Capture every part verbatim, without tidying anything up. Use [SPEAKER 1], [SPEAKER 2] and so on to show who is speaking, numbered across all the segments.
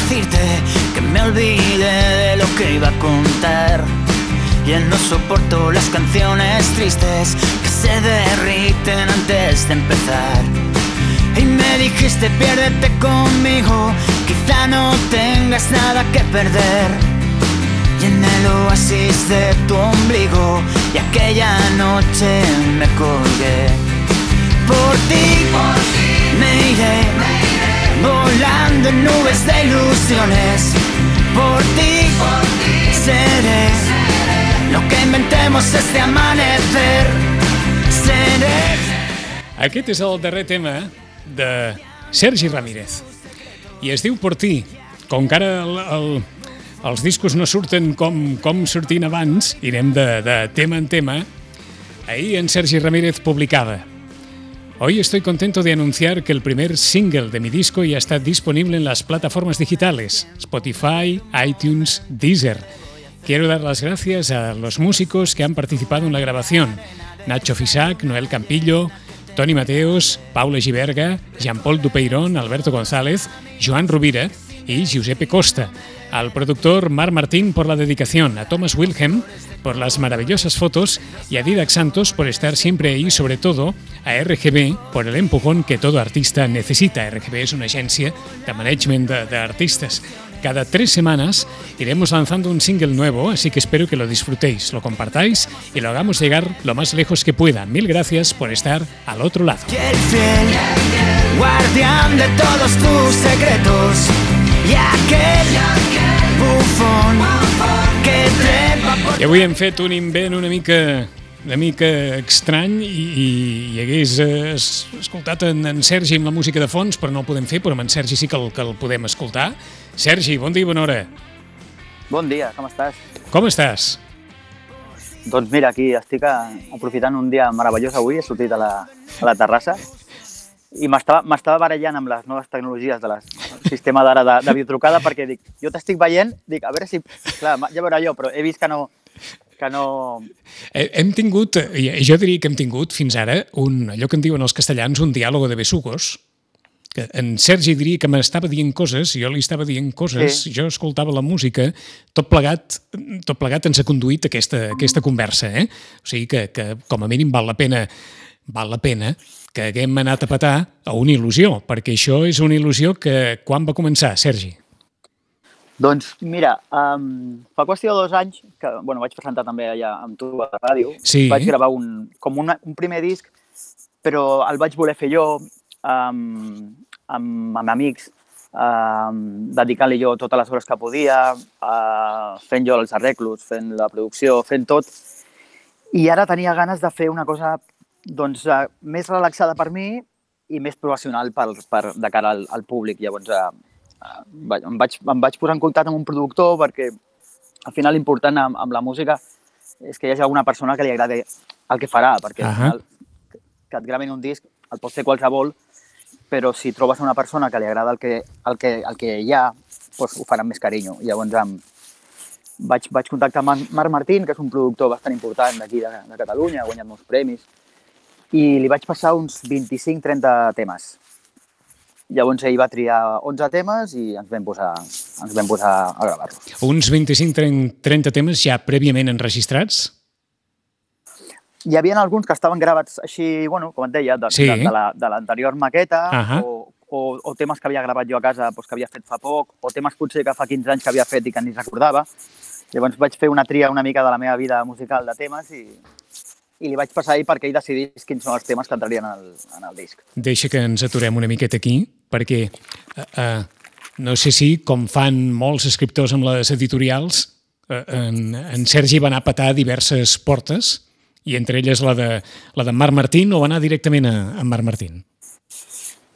[SPEAKER 1] decirte que me olvidé de lo que iba a contar. Ya no soporto las canciones tristes que se derriten antes de empezar. Y me dijiste piérdete conmigo, quizá no tengas nada que perder. Y en el oasis de tu ombligo, y aquella noche me colgué. Por ti, por ti me iré, me iré, volando en nubes de ilusiones. Por ti, por ti seré, seré lo que inventemos este amanecer. Seré.
[SPEAKER 2] Aquest és el darrer tema de Sergi Ramírez i es diu Por ti. Com que ara el, el, els discos no surten com, com sortien abans, irem de, de tema en tema. Ahí en Sergi Ramírez publicaba: hoy estoy contento de anunciar que el primer single de mi disco ya está disponible en las plataformas digitales Spotify, iTunes, Deezer. Quiero dar las gracias a los músicos que han participado en la grabación: Nacho Fisac, Noel Campillo, Toni Mateos, Paula Giberga, Jean-Paul Dupeirón, Alberto González, Joan Rovira y Giuseppe Costa. Al productor Marc Martín por la dedicación, a Thomas Wilhelm por las maravillosas fotos y a Didac Santos por estar siempre ahí, sobre todo a R G B por el empujón que todo artista necesita. R G B es una agencia de management de, de artistas. Cada tres semanas iremos lanzando un single nuevo, así que espero que lo disfrutéis, lo compartáis y lo hagamos llegar lo más lejos que pueda. Mil gracias por estar al otro lado.
[SPEAKER 1] Y el fiel guardián de todos tus secretos, y aquel bufón que trepa por...
[SPEAKER 2] I avui hem fet un invent una mica... una mica estrany i, i, i hagués eh, escoltat en, en Sergi amb la música de fons, però no el podem fer, però amb en Sergi sí que el, que el podem escoltar. Sergi, bon dia i bona hora.
[SPEAKER 3] Bon dia, com estàs?
[SPEAKER 2] Com estàs?
[SPEAKER 3] Doncs mira, aquí estic a, aprofitant un dia meravellós avui, he sortit a la, a la terrassa i m'estava m'estava barallant amb les noves tecnologies del sistema d'ara de, de videotrucada perquè dic, jo t'estic veient, dic, a veure si... Clar, ja veurà jo, però he vist que no... que no...
[SPEAKER 2] Hem tingut, jo diria que hem tingut fins ara un, allò que en diuen els castellans, un diàlogo de besugos, que en Sergi diria que m'estava dient coses, jo li estava dient coses, sí. Jo escoltava la música, tot plegat, tot plegat ens ha conduït aquesta, aquesta conversa, eh? O sigui que, que com a mínim val la pena, val la pena que haguem anat a petar a una il·lusió, perquè això és una il·lusió que quan va començar, Sergi?
[SPEAKER 3] Doncs mira, um, fa qüestió de dos anys, que bueno, vaig presentar també allà amb tu a la ràdio,
[SPEAKER 2] sí.
[SPEAKER 3] Vaig gravar un, com una, un primer disc, però el vaig voler fer jo um, amb, amb amics, um, dedicant-li jo totes les hores que podia, uh, fent jo els arreglos, fent la producció, fent tot. I ara tenia ganes de fer una cosa doncs, uh, més relaxada per mi i més professional per, per, de cara al, al públic. Llavors, uh, Em vaig, em vaig posar en contacte amb un productor perquè al final l'important amb, amb la música és que hi hagi alguna persona que li agradi el que farà, perquè al final que et gravin un disc el pot fer qualsevol, però si trobes una persona que li agrada el que, el que, el que hi ha, doncs ho farà amb més carinyo. Llavors em, vaig, vaig contactar amb Marc Martín, que és un productor bastant important d'aquí de, de Catalunya, ha guanyat molts premis, i li vaig passar uns vint-i-cinc trenta temes. Llavors ell va triar onze temes i ens vam posar, ens vam posar a gravar-los.
[SPEAKER 2] Uns vint-i-cinc trenta temes ja prèviament enregistrats?
[SPEAKER 3] Hi havia alguns que estaven gravats així, bueno, com et deia, de, sí. de, de l'anterior la, maqueta, uh-huh. o, o, o temes que havia gravat jo a casa doncs, que havia fet fa poc, o temes potser que fa quinze anys que havia fet i que ni recordava. Llavors vaig fer una tria una mica de la meva vida musical de temes i... i li vaig passar ahir perquè ell decidís quins són els temes que entrarien en el, en el disc.
[SPEAKER 2] Deixa que ens aturem una miqueta aquí, perquè uh, uh, no sé si, com fan molts escriptors amb les editorials, uh, en, en Sergi va anar a petar diverses portes, i entre elles la de, la de Marc Martín, o va anar directament a, a Marc Martín?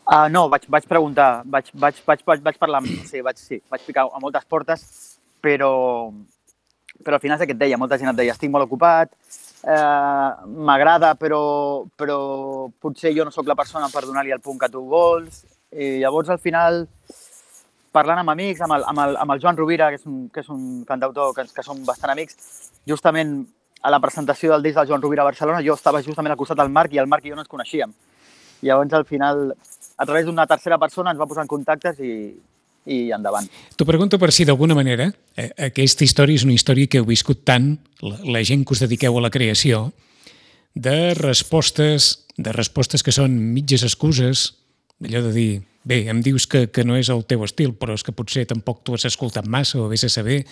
[SPEAKER 3] Uh, no, vaig, vaig preguntar, vaig, vaig, vaig, vaig, vaig parlar, sí, vaig, sí, vaig picar a moltes portes, però, però al final és el que et deia, molta gent et deia, estic molt ocupat, Uh, m'agrada, però, però potser jo no sóc la persona per donar-li el punt que tu vols. I llavors, al final, parlant amb amics, amb el, amb el, amb el Joan Rovira, que és un, que és un cantautor que, que som bastant amics, justament a la presentació del disc del Joan Rovira a Barcelona, jo estava justament al costat del Marc i el Marc i jo no ens coneixíem. Llavors, al final, a través d'una tercera persona ens va posar en contactes i, i endavant.
[SPEAKER 2] T'ho pregunto per si d'alguna manera eh, aquesta història és una història que heu viscut tant, la, la gent que us dediqueu a la creació, de respostes, de respostes que són mitges excuses, allò de dir, bé, em dius que, que no és el teu estil, però és que potser tampoc tu has escoltat massa o vés a saber,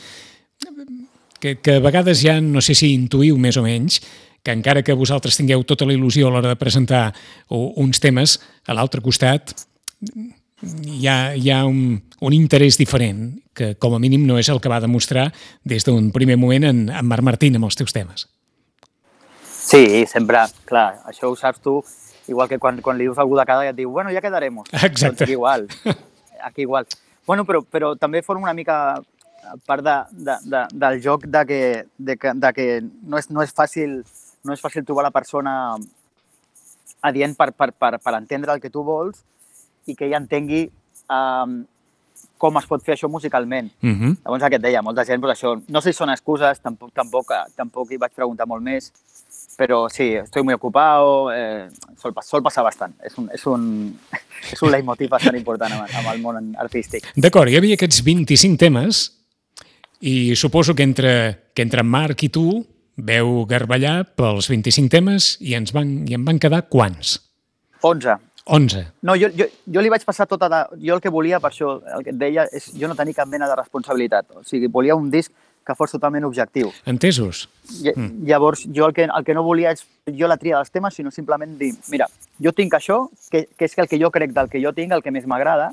[SPEAKER 2] que, que a vegades ja no sé si intuïu més o menys que encara que vosaltres tingueu tota la il·lusió a l'hora de presentar uns temes, a l'altre costat hi ha, hi ha un, un interès diferent, que com a mínim no és el que va demostrar des d'un primer moment en, en Marc Martín amb els teus temes.
[SPEAKER 3] Sí, sempre, clar, això ho saps tu, igual que quan, quan li dius a algú de cada i et diu, bueno, ja quedaremos.
[SPEAKER 2] Exacte.
[SPEAKER 3] Doncs aquí igual, aquí igual. Bueno, però, però també forma una mica part de, de, de, del joc de que, de que, de que no, és, no, és fàcil, no és fàcil trobar la persona adient per, per, per, per entendre el que tu vols i que ella entengui um, com es pot fer això musicalment.
[SPEAKER 2] Uh-huh.
[SPEAKER 3] Llavors, el que et deia, molta gent, doncs això, no sé si són excuses, tampoc, tampoc, tampoc hi vaig preguntar molt més, però sí, estoy muy ocupado, eh, sol, sol passar bastant. És un, és un, és un leitmotiv bastant important amb, amb el món artístic.
[SPEAKER 2] D'acord, hi havia aquests vint-i-cinc temes i suposo que entre, que entre Marc i tu veu garballar pels vint-i-cinc temes i ens van, i en van quedar quants?
[SPEAKER 3] onze.
[SPEAKER 2] onze.
[SPEAKER 3] No, jo, jo, jo li vaig passar tota de... Jo el que volia, per això, el que et deia, és jo no tenia cap mena de responsabilitat. O sigui, volia un disc que fos totalment objectiu.
[SPEAKER 2] Entesos.
[SPEAKER 3] I, mm. Llavors, jo el que, el que no volia és jo la tria dels temes, sinó simplement dir, mira, jo tinc això, que, que és el que jo crec del que jo tinc, el que més m'agrada,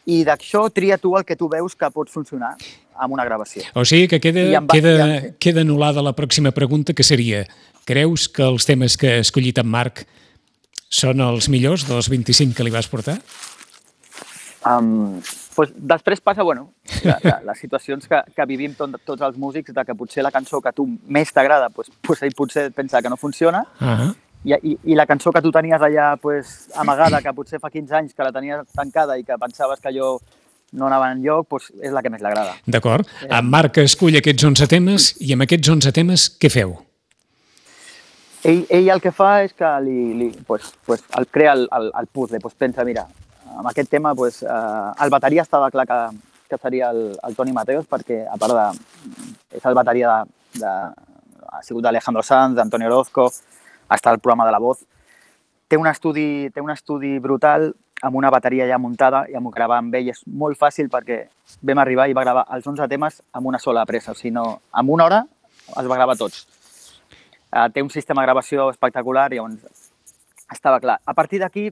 [SPEAKER 3] i d'això tria tu el que tu veus que pot funcionar amb una gravació.
[SPEAKER 2] O sigui que queda,
[SPEAKER 3] va,
[SPEAKER 2] queda,
[SPEAKER 3] ja,
[SPEAKER 2] queda anul·lada la pròxima pregunta, que seria, creus que els temes que ha escollit en Marc són els millors dels vint-i-cinc que li vas portar?
[SPEAKER 3] Um, pues després passa, bueno, la, la, les situacions que, que vivim tot, tots els músics, de que potser la cançó que a tu més t'agrada, pues, pues ell potser pensa que no funciona,
[SPEAKER 2] uh-huh.
[SPEAKER 3] i, i, i la cançó que tu tenies allà pues, amagada, que potser fa quinze anys que la tenies tancada i que pensaves que allò no anava enlloc, pues, és la que més l'agrada.
[SPEAKER 2] D'acord. En Marc escull aquests onze temes i amb aquests onze temes què feu?
[SPEAKER 3] Ell, ell el que fa és que li, li, pues, pues, el crea el, el, el puzzle, pues, pensa, mira, amb aquest tema, pues, eh, el bateria estava clar que, que seria el, el Toni Mateos, perquè a part de... és el bateria de... de ha sigut d'Alejandro Sanz, d'Antonio Orozco, està al programa de La Voz. Té un estudi, té un estudi brutal amb una bateria ja muntada i amb gravar amb ell és molt fàcil perquè vam arribar i va gravar els onze temes amb una sola pressa, o sigui, no, en una hora els va gravar tots. Uh, té un sistema de gravació espectacular i llavors estava clar. A partir d'aquí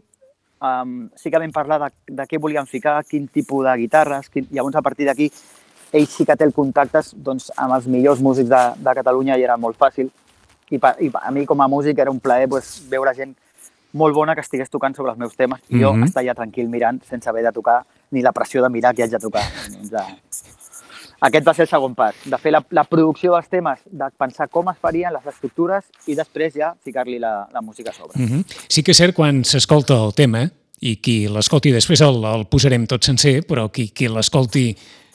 [SPEAKER 3] um, sí que vam parlar de, de què volíem ficar, quin tipus de guitarres, quin... llavors a partir d'aquí ell sí que té el contactes doncs, amb els millors músics de, de Catalunya i era molt fàcil. I, pa, i a mi com a músic era un plaer pues, veure gent molt bona que estigués tocant sobre els meus temes i mm-hmm. jo estar ja tranquil mirant sense haver de tocar ni la pressió de mirar qui haig de tocar. Doncs, aquest va ser el segon pas, de fer la, la producció dels temes, de pensar com es farien les estructures i després ja ficar-li la, la música a sobre.
[SPEAKER 2] Mm-hmm. Sí que és cert quan s'escolta el tema i qui l'escolti després el, el posarem tot sencer, però qui, qui l'escolti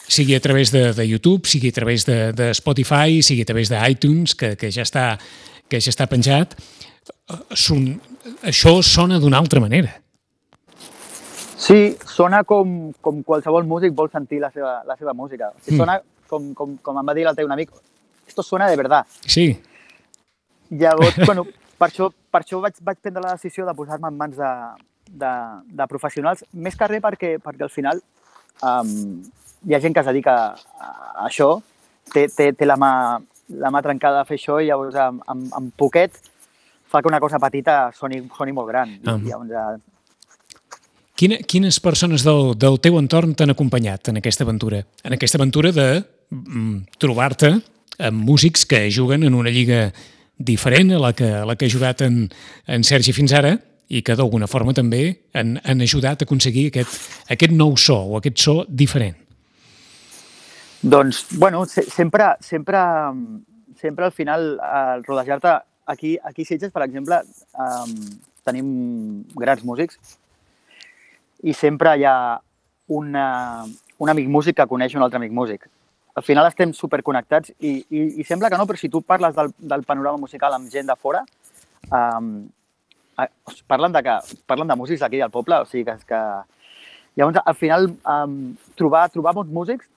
[SPEAKER 2] sigui a través de, de YouTube, sigui a través de, de Spotify, sigui a través d'iTunes, que, que, ja està, que ja està penjat, son, això sona d'una altra manera.
[SPEAKER 3] Sí, sona com, com qualsevol músic vol sentir la seva, la seva música. O sigui,
[SPEAKER 2] mm.
[SPEAKER 3] sona com, com, com em va dir l'altre un amic, esto suena de verdad.
[SPEAKER 2] Sí.
[SPEAKER 3] Llavors, bueno, per això, per això vaig, vaig prendre la decisió de posar-me en mans de, de, de professionals, més que res perquè, perquè al final um, hi ha gent que es dedica a, a això, té, té, té la, mà, la mà trencada a fer això i llavors amb, amb, amb poquet fa que una cosa petita soni, soni molt gran.
[SPEAKER 2] Um.
[SPEAKER 3] I llavors,
[SPEAKER 2] Quina, quines persones del, del teu entorn t'han acompanyat en aquesta aventura? En aquesta aventura de mm, trobar-te amb músics que juguen en una lliga diferent a la que, a la que ha jugat en, en Sergi fins ara i que d'alguna forma també han, han ajudat a aconseguir aquest, aquest nou so o aquest so diferent.
[SPEAKER 3] Doncs, bueno, se, sempre, sempre, sempre al final, al rodejar-te aquí, aquí a Sitges, per exemple, um, tenim grans músics i sempre hi ha una, un amic músic que coneix un altre amic músic. Al final estem superconnectats i, i, i sembla que no, però si tu parles del, del panorama musical amb gent de fora, um, parlen, de que, parlen de músics d'aquí del poble, o sigui que, que, Llavors, al final, um, trobar, trobar bons músics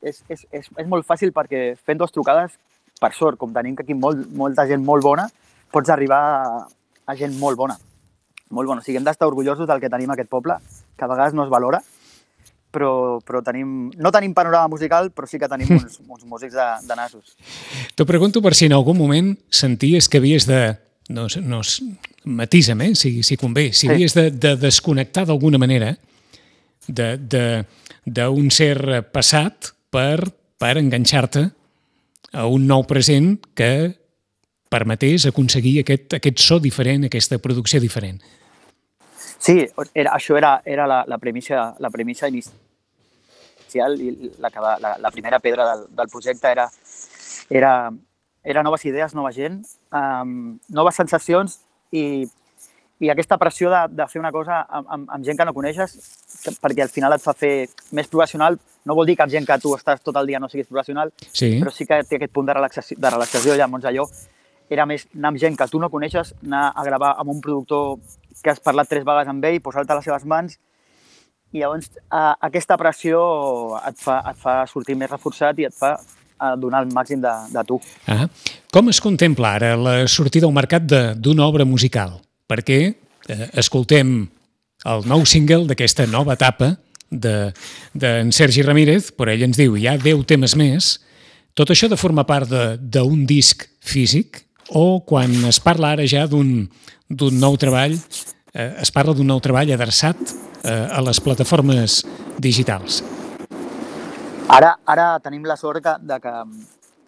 [SPEAKER 3] és, és, és, és molt fàcil perquè fent dues trucades, per sort, com tenim aquí molt, molta gent molt bona, pots arribar a, a gent molt bona. Molt bona. O sigui, hem d'estar orgullosos del que tenim a aquest poble, que a vegades no es valora, però, però tenim, no tenim panorama musical, però sí que tenim uns, uns músics de, de nassos.
[SPEAKER 2] T'ho pregunto per si en algun moment senties que havies de... No, no, matisa'm, eh, si, si convé. Si havies de, de desconnectar d'alguna manera d'un ser passat per, per enganxar-te a un nou present que permetés aconseguir aquest, aquest so diferent, aquesta producció diferent.
[SPEAKER 3] Sí, era, això era, era la, la, premissa, la premissa inicial i la, la, la primera pedra del, del projecte era, era, era noves idees, nova gent, um, noves sensacions i, i aquesta pressió de, de fer una cosa amb, amb, amb gent que no coneixes, perquè al final et fa fer més professional. No vol dir que amb gent que tu estàs tot el dia no siguis professional, sí. Però sí que té aquest punt de relaxació, de relaxació. Llavors allò era més anar amb gent que tu no coneixes, anar a gravar amb un productor que has parlat tres vegades amb ell, posar-te a les seves mans, i llavors eh, aquesta pressió et fa, et fa sortir més reforçat i et fa eh, donar el màxim de, de tu.
[SPEAKER 2] Ah, com es contempla ara la sortida al mercat d'una obra musical? Perquè eh, escoltem el nou single d'aquesta nova etapa d'en de, de Sergi Ramírez, però ell ens diu hi ha deu temes més. Tot això de formar part d'un disc físic o quan es parla ara ja d'un d'un nou treball, eh, es parla d'un nou treball adreçat eh, a les plataformes digitals?
[SPEAKER 3] Ara, ara tenim la sort que, de que,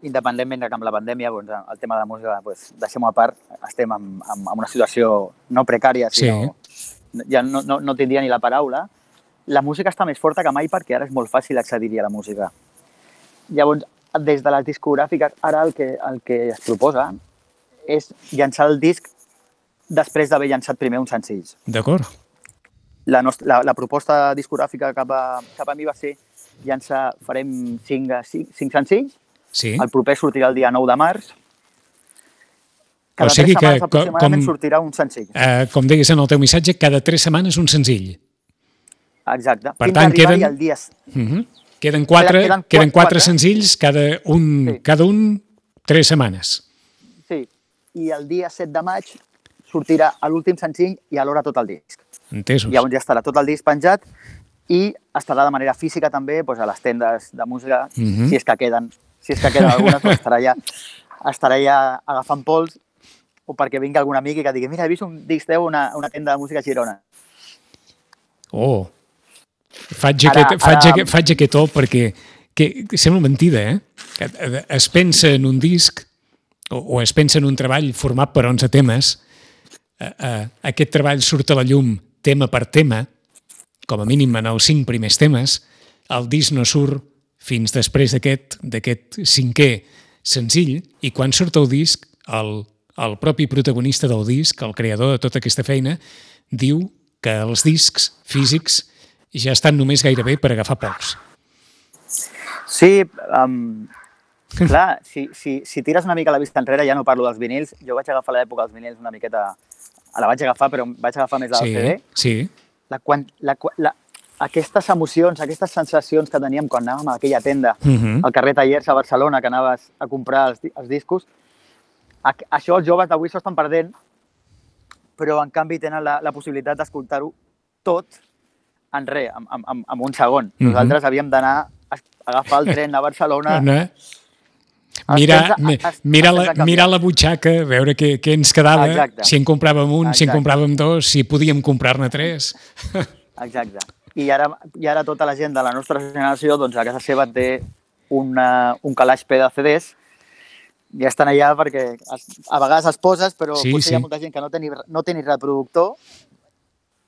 [SPEAKER 3] independentment de que amb la pandèmia, doncs, el tema de la música, doncs, deixem-ho a part, estem en, en, en una situació no precària, sinó sí. ja no, no, no tindria ni la paraula. La música està més forta que mai perquè ara és molt fàcil accedir-hi a la música. Llavors, des de les discogràfiques, ara el que, el que es proposa és llançar el disc després d'haver llançat primer uns senzills.
[SPEAKER 2] D'acord.
[SPEAKER 3] La, la, la proposta discogràfica cap a, cap a mi va ser llançar, farem cinc, cinc, cinc senzills, sí. El proper sortirà el dia nou de març. Cada o sigui tres setmanes que, aproximadament com, sortirà un senzill.
[SPEAKER 2] Eh, com deies en el teu missatge, cada tres setmanes un senzill.
[SPEAKER 3] Exacte.
[SPEAKER 2] Per tant, queden, el dia... uh -huh. queden, quatre, queden, queden, queden quatre, quatre senzills, cada un, sí. cada un tres setmanes.
[SPEAKER 3] Sí, i el dia set de maig sortirà l'últim senzill i alhora tot el disc.
[SPEAKER 2] Entesos.
[SPEAKER 3] Llavors ja estarà tot el disc penjat i estarà de manera física també doncs, a les tendes de música, uh -huh. si és que queden, si és que queden algunes, doncs estarà ja, estarà ja agafant pols o perquè vingui algun amic i que digui mira, he vist un disc teu a una, una tenda de música a Girona.
[SPEAKER 2] Oh, faig, ara, aquest, faig, ara... aquest, faig aquest oh perquè que, que sembla mentida, eh? Es pensa en un disc o, o es pensa en un treball format per onze temes. Uh, uh, aquest treball surt a la llum tema per tema, com a mínim en els cinc primers temes. El disc no surt fins després d'aquest d'aquest cinquè senzill i quan surt el disc, el, el propi protagonista del disc, el creador de tota aquesta feina, diu que els discs físics ja estan només gairebé per agafar pols.
[SPEAKER 3] Sí, um, clar, si, si, si tires una mica la vista enrere, ja no parlo dels vinils, jo vaig agafar l'època dels vinils una miqueta... La vaig agafar, però vaig agafar més la
[SPEAKER 2] sí,
[SPEAKER 3] C D.
[SPEAKER 2] Sí,
[SPEAKER 3] la, quan, la, la, aquestes emocions, aquestes sensacions que teníem quan anàvem a aquella tenda, uh -huh. al carrer Tallers a Barcelona, que anaves a comprar els, els discos, a, això els joves d'avui s'ho estan perdent, però en canvi tenen la, la possibilitat d'escoltar-ho tot en res, en, en, en un segon. Uh -huh. Nosaltres havíem d'anar a agafar el tren a Barcelona...
[SPEAKER 2] No. Mirar, mirar, la, mirar la butxaca, veure què, què ens quedava, exacte. Si en compràvem un, exacte. Si en compràvem dos, si podíem comprar-ne tres.
[SPEAKER 3] Exacte. I ara, I ara tota la gent de la nostra generació doncs, a casa seva té una, un calaix ple de C Ds i estan allà perquè a vegades els poses, però sí, potser sí. Hi ha molta gent que no té ni, no té ni reproductor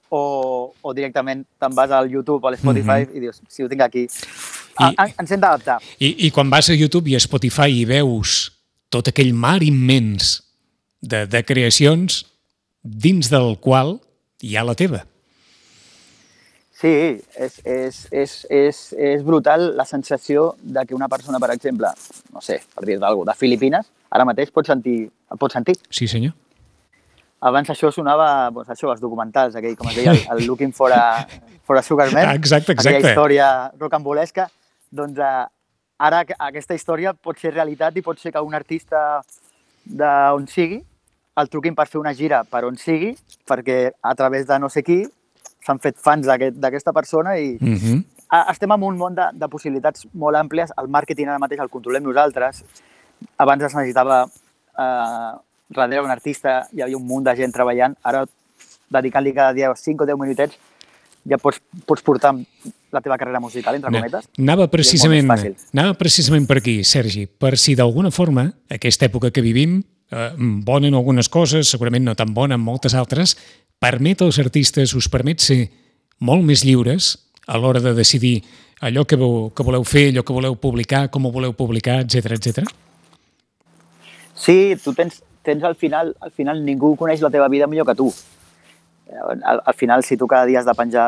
[SPEAKER 3] o, o directament te'n vas al YouTube o a l'Spotify mm-hmm. i dius, si ho tinc aquí... I, ens hem d'adaptar.
[SPEAKER 2] I, I quan vas a YouTube i a Spotify i veus tot aquell mar immens de, de creacions dins del qual hi ha la teva.
[SPEAKER 3] Sí, és, és, és, és, és brutal la sensació de que una persona, per exemple, no sé, per dir d'algú, de Filipines, ara mateix pot sentir, el pot sentir.
[SPEAKER 2] Sí, senyor.
[SPEAKER 3] abans això sonava, doncs això, els documentals, aquell, com es deia, el, el Looking for a, for a Sugar Man,
[SPEAKER 2] exacte, exacte.
[SPEAKER 3] aquella història rocambolesca, doncs eh, ara aquesta història pot ser realitat i pot ser que un artista d'on sigui el truquin per fer una gira per on sigui, perquè a través de no sé qui s'han fet fans d'aquesta aquest, persona i
[SPEAKER 2] mm-hmm.
[SPEAKER 3] estem en un món de, de possibilitats molt àmplies. El màrqueting ara mateix el controlem nosaltres. Abans es necessitava eh, darrere un artista, hi havia un munt de gent treballant. Ara, dedicant-li cada dia cinc o deu minutets, ja pots, pots portar la teva carrera musical, entre cometes.
[SPEAKER 2] Anava precisament, anava precisament per aquí, Sergi, per si d'alguna forma, aquesta època que vivim, eh, bona en algunes coses, segurament no tan bona en moltes altres, permet als artistes, us permet ser molt més lliures a l'hora de decidir allò que, veu, que voleu fer, allò que voleu publicar, com ho voleu publicar, etcètera, etcètera?
[SPEAKER 3] Sí, tu tens, tens al final, al final ningú coneix la teva vida millor que tu. Al, al final, si tu cada dia has de penjar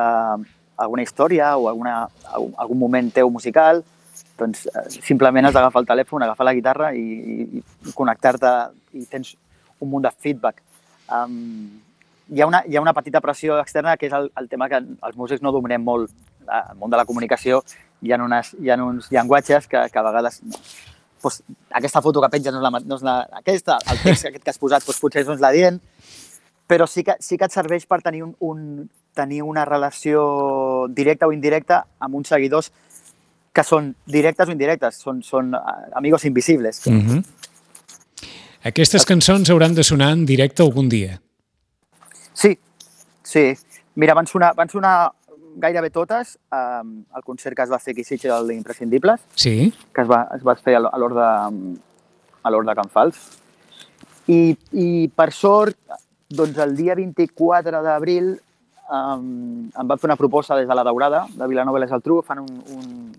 [SPEAKER 3] alguna història o alguna, algun moment teu musical, doncs simplement has d'agafar el telèfon, agafar la guitarra i, i, i connectar-te i tens un munt de feedback. Um, hi, ha una, hi ha una petita pressió externa que és el, el tema que els músics no dominem molt. Al món de la comunicació hi ha, unes, hi ha uns llenguatges que, que a vegades... Doncs, aquesta foto que penges no és, la, no és la, aquesta, el text aquest que has posat doncs, potser no és la dient, però sí que, sí que et serveix per tenir, un, un, tenir una relació directa o indirecta amb uns seguidors que són directes o indirectes, són, són amigos invisibles.
[SPEAKER 2] Mm-hmm. Aquestes cançons hauran de sonar en directe algun dia.
[SPEAKER 3] Sí, sí. Mira, van sonar, van sonar gairebé totes um, el concert que es va fer aquí a Sitges, l'Imprescindibles,
[SPEAKER 2] sí.
[SPEAKER 3] que es va, es va fer a l'Hort de, a l'Hort de Can Fals. I, I per sort, doncs el dia vint-i-quatre d'abril um, em van fer una proposta des de la Daurada, de Vilanova i la Geltrú, fan un, un,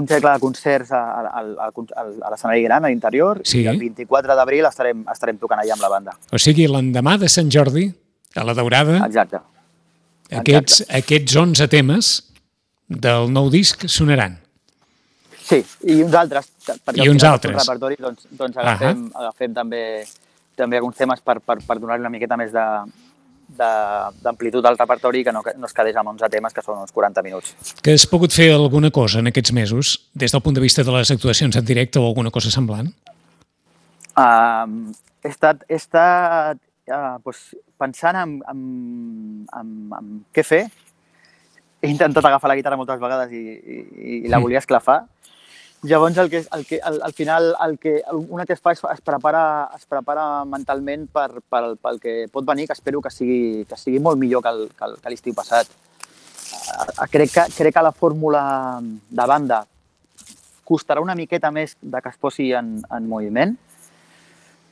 [SPEAKER 3] un cercle de concerts a, a, a, a l'escenari gran, a l'interior, sí. I el vint-i-quatre d'abril estarem, estarem tocant allà amb la banda.
[SPEAKER 2] O sigui, l'endemà de Sant Jordi, a la Daurada,
[SPEAKER 3] exacte.
[SPEAKER 2] Aquests, aquests onze temes del nou disc sonaran.
[SPEAKER 3] Sí, i uns altres.
[SPEAKER 2] I uns altres.
[SPEAKER 3] Repertori, doncs, doncs agafem, uh-huh. agafem també, també alguns temes per, per, per donar-li una miqueta més de, de, d'amplitud al repertori que no, no es quedés amb onze temes, que són uns quaranta minuts.
[SPEAKER 2] Que has pogut fer alguna cosa en aquests mesos, des del punt de vista de les actuacions en directe o alguna cosa semblant?
[SPEAKER 3] Uh, he estat... He estat Uh, doncs, pensant en, en, en, en què fer. He intentat agafar la guitarra moltes vegades i, i, i la volia esclafar. Llavors, el que, el que, al, al final, el que, una que es fa és es prepara, es prepara mentalment per, per, pel que pot venir, que espero que sigui, que sigui molt millor que, el, que, el, que l'estiu passat. Uh, crec, que, crec que la fórmula de banda costarà una miqueta més de que es posi en, en moviment,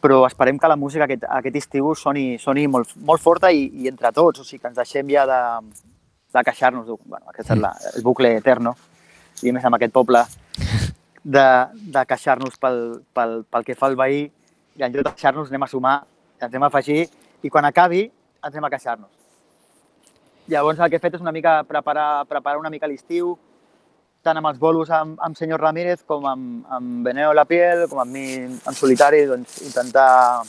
[SPEAKER 3] però esperem que la música aquest, aquest estiu soni, soni molt, molt forta i, i entre tots, o sigui, que ens deixem ja de, de queixar-nos, bueno, aquest és la, el bucle eterno, i més amb aquest poble, de, de queixar-nos pel, pel, pel que fa el veí, i en lloc de queixar-nos anem a sumar, ens anem a afegir, i quan acabi ens anem a queixar-nos. Llavors el que he fet és una mica preparar, preparar una mica l'estiu, tant amb els bolos amb, amb senyor Ramírez com amb, amb Beneo La Piel, com amb mi en solitari, doncs intentar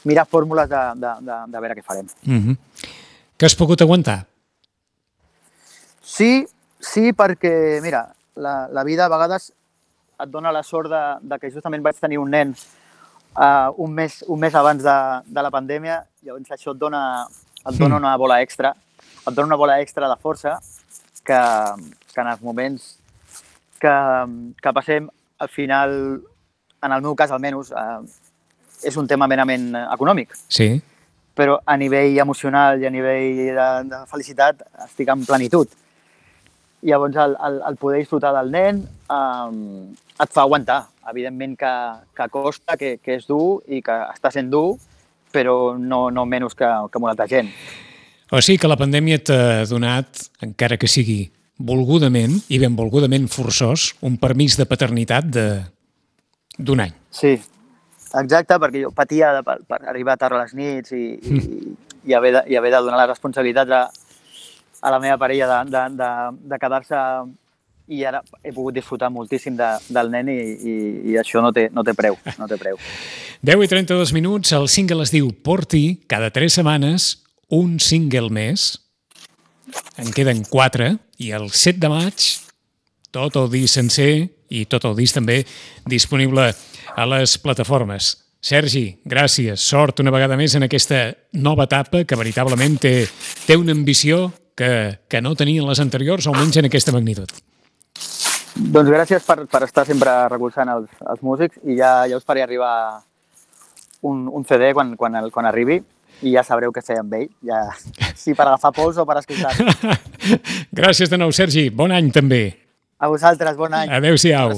[SPEAKER 3] mirar fórmules de, de, de, de veure què farem.
[SPEAKER 2] Mm-hmm. Que has pogut aguantar?
[SPEAKER 3] Sí, sí, perquè, mira, la, la vida a vegades et dona la sort de, de que justament vaig tenir un nen uh, un, mes, un mes abans de, de la pandèmia, llavors això et dona, et dona una bola extra, et dona una bola extra de força que, que en els moments que, que passem, al final, en el meu cas almenys, eh, és un tema merament econòmic.
[SPEAKER 2] Sí.
[SPEAKER 3] Però a nivell emocional i a nivell de, de felicitat estic en plenitud. Llavors, el, el, el poder disfrutar del nen eh, et fa aguantar. Evidentment que, que costa, que, que és dur i que està sent dur, però no, no menys que, que molta altra gent.
[SPEAKER 2] O sigui que la pandèmia t'ha donat, encara que sigui volgudament i benvolgudament forçós, un permís de paternitat d'un any.
[SPEAKER 3] Sí, exacte, perquè jo patia de, per, per arribar tard a les nits i, mm. i, i, haver de, i haver de donar les responsabilitats a, a la meva parella de, de, de, de quedar-se i ara he pogut disfrutar moltíssim de, del nen i, i, i això no té, no té preu, no té preu.
[SPEAKER 2] deu i trenta-dos minuts, el single es diu Porti, cada tres setmanes, un single més. En queden quatre, i el set de maig, tot el disc sencer i tot el disc també disponible a les plataformes. Sergi, gràcies, sort una vegada més en aquesta nova etapa que veritablement té, té una ambició que, que no tenien les anteriors, almenys en aquesta magnitud.
[SPEAKER 3] Doncs gràcies per, per estar sempre recolzant els, els músics i ja, ja us faré arribar un, un C D quan, quan, el, quan arribi i ja sabreu què fer amb ell, ja, si per agafar pols o per escoltar.
[SPEAKER 2] Gràcies de nou, Sergi. Bon any també.
[SPEAKER 3] A vosaltres, bon any.
[SPEAKER 2] Adéu-siau.